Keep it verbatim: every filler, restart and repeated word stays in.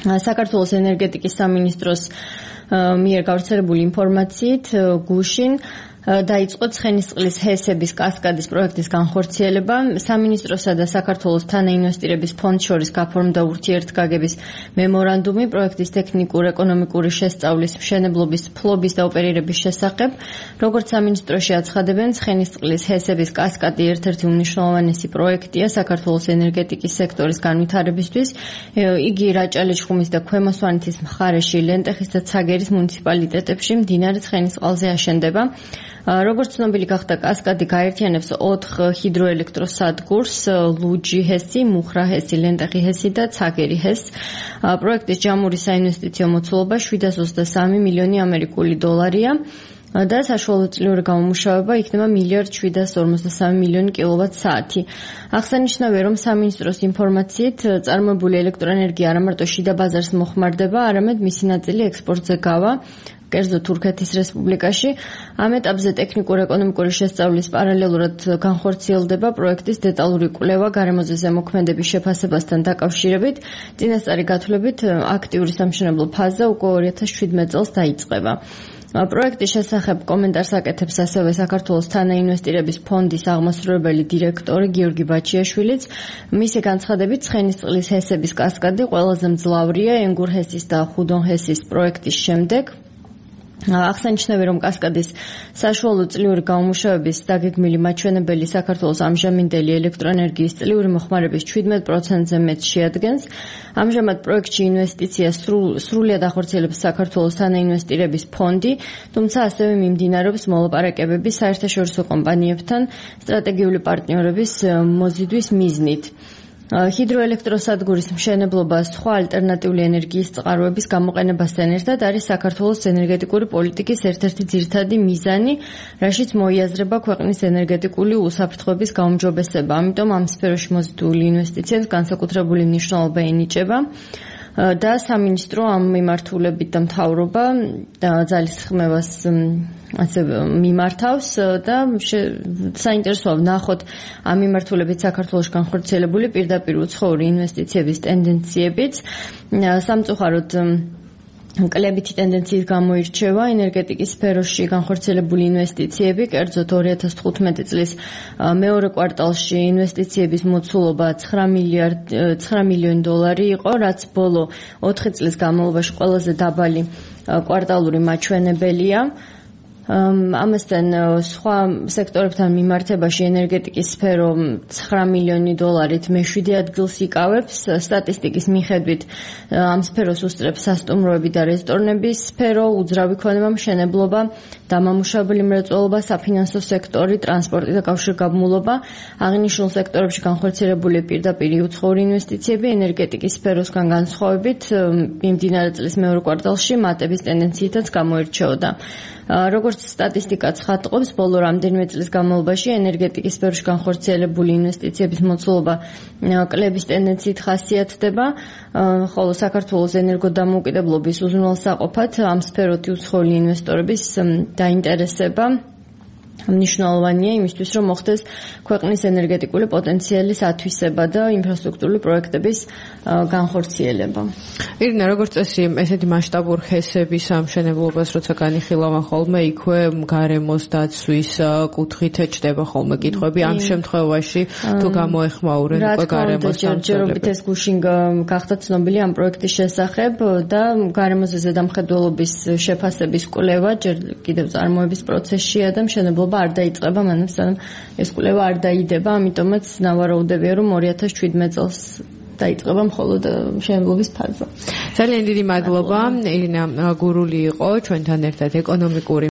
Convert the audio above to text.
საქართველოს ენერგეტიკის სამინისტროს მიერ გავრცელებული ინფორმაციით გუშინ დაიწყო ცხენისწყლის ჰესების კასკადის პროექტის განხორციელება. სამინისტროსა და საქართველოს თანაინვესტირების ფონდ შორის გაფორმდა ურთიერთგაგების მემორანდუმი პროექტის ტექნიკურ-ეკონომიკური შესწავლის, მშენებლობის, ფლობის და ოპერირების შესახებ. როგორც სამინისტროში აცხადებენ, ცხენისწყლის ჰესების კასკადი ერთ-ერთი უმნიშვნელოვანესი პროექტია საქართველოს ენერგეტიკის სექტორის განვითარებისთვის. იგი რაჭა-ლეჩხუმის და ქვემო სვანეთის მხარეში, ლენტეხის და ცაგერის მუნიციპალიტეტებში მდინარე ცხენისწყალზე აშენდება. როგორც ცნობილი გახდა, კასკადი გაერთიანებს ოთხ ჰიდროელექტროსადგურს: ლუჯი ჰესი, მუხრა ჰესი, ლენტეხი ჰესი და ცაგერი ჰესი. პროექტის ჯამური საინვესტიციო მოცულობა შვიდას ოცდასამი მილიონი ამერიკული დოლარია და საშუალო წლიური გამომუშავება იქნება მილიარდ შვიდას ორმოცდასამი მილიონი კილოვატ-საათი. აღსანიშნავია, რომ სამინისტროს ინფორმაციით წარმოებული ელექტროენერგია არა მარტო შიდა ბაზარს მოხმარდება, არამედ მისი ნაწილი ექსპორტზე გავა კერძო თურქეთის რესპუბლიკაში. ამ ეტაპზე ტექნიკურ-ეკონომიკური შესწავლის პარალელურად განხორციელდება პროექტის დეტალური კვლევა გარემოზე ზემოქმედების შეფასებასთან დაკავშირებით. წინასწარი გათვლებით აქტიური სამშენებლო ფაზა უკვე ორი ათას შვიდმეტ წელს დაიწყება. პროექტის შესახებ კომენტარს აკეთებს ასევე საქართველოს თანაინვესტირების ფონდის აღმასრულებელი დირექტორი გიორგი ბაჩიაშვილიც. მისი განცხადებით, ცხენისწყლის ჰესების კასკადი ყველაზე მძლავრია ენგურ ჰესის და ხუდონ ჰესის პროექტის შემდეგ. აღსანიშნავია, რომ კასკადის საშუალო წლიური გამომუშავების დაგეგმილი მაჩვენებელი საქართველოს ამჟამინდელი ელექტროენერგიის წლიური მოხმარების შვიდმეტ პროცენტზე მეტს შეადგენს. ამჟამად პროექტში ინვესტიციას სრულად ახორციელებს საქართველოს თანაინვესტირების ფონდი, თუმცა ასევე მიმდინარეობს მოლაპარაკებები საერთაშორისო კომპანიებთან სტრატეგიული პარტნიორების მოზიდვის მიზნით. ჰიდროელექტროსადგურის მშენებლობა სხვა ალტერნატიული ენერგიის წყაროების გამოყენებასთან ერთად არის საქართველოს ენერგეტიკური პოლიტიკის ერთ-ერთი ძირითადი მიზანი, რაშიც მოიაზრება ქვეყნის ენერგეტიკული უსაფრთხოების გაუმჯობესება. ამიტომ ამ სფეროში მოზიდული ინვესტიციებს განსაკუთრებული მნიშვნელობა ენიჭება და სამინისტრო ამ მიმართულებით და მთავრობა ძალისხმევას ასე მიმართავს და საინტერესოა ვნახოთ ამ მიმართულებით საქართველოში განხორციელებული პირდაპირ უცხოური ინვესტიციების ტენდენციებიც. სამწუხაროდ კლებითი ტენდენციის გამოირჩევა ენერგეტიკის სფეროში განხორციელებული ინვესტიციები, კერძოდ ორი ათას თხუთმეტი წლის მეორე კვარტალში ინვესტიციების მოცულობა ცხრა მილიონი დოლარი იყო, რაც ბოლო ოთხი წლის განმავლობაში ყველაზე დაბალი კვარტალური მაჩვენებელია. ამასთან სხვა სექტორებთან მიმართებაში ენერგეტიკის სფერო ცხრა მილიონი დოლარით მეშვიდე ადგილს იკავებს. სტატისტიკის მიხედვით ამ სფეროს უსწრებს სასტუმროები და რესტორნების სფერო, უძრავი ქონება, მშენებლობა, დამამუშავებელი მრეწველობა, საფინანსო სექტორი, ტრანსპორტი და კავშირგაბმულობა. აღნიშნულ სექტორებში განხორციელებული პირდაპირ უცხოური ინვესტიციები ენერგეტიკის სფეროსგან განსხვავებით მიმდინარე წლის მეორე კვარტალში მატების ტენდენციითაც გამოირჩეოდა. როგორც სტატისტიკა ცხადყოფს, ბოლო რამდენიმე წლის განმავლობაში ენერგეტიკის სფეროში განხორციელებული ინვესტიციების მოცულობა კლების ტენდენციით ხასიათდება, ხოლო საქართველოს ენერგოდამოუკიდებლობის უზრუნველსაყოფად ამ სფეროთი უცხოელი ინვესტორების დაინტერესება მნიშვნელოვანია იმისთვის, რომ მოხდეს ქვეყნის ენერგეტიკული პოტენციალის ათვისება და ინფრასტრუქტურული პროექტების განხორციელება. ირინა, როგორც წესი, ესეთი მასშტაბურ ჰესების სამშენებლობას როცა განიხილავენ ხოლმე, იქვე გარემოს დაცვის კუთხით ჩდება ხოლმე კითხვები. ამ შემთხვევაში თუ გამოეხმაურენ უკვე გარემოს ჯერჯერობით ეს გუშინ გახდა ცნობილი ამ პროექტის შესახებ და გარემოზე ზედამხედველობის შეფასების კვლევა ჯერ კიდევ წარმოების პროცესშია და მშენებლობა არ დაიწყება, მანამ სანამ ეს კვლევა არ დაიდება, ამიტომაც ნავარაუდებია, რომ ორი ათას შვიდმეტ წელს დაიწყება მხოლოდ მშენებლობის ფაზა. ძალიან დიდი მადლობა. ირინა გურული იყო ჩვენთან ერთად ეკონომიკური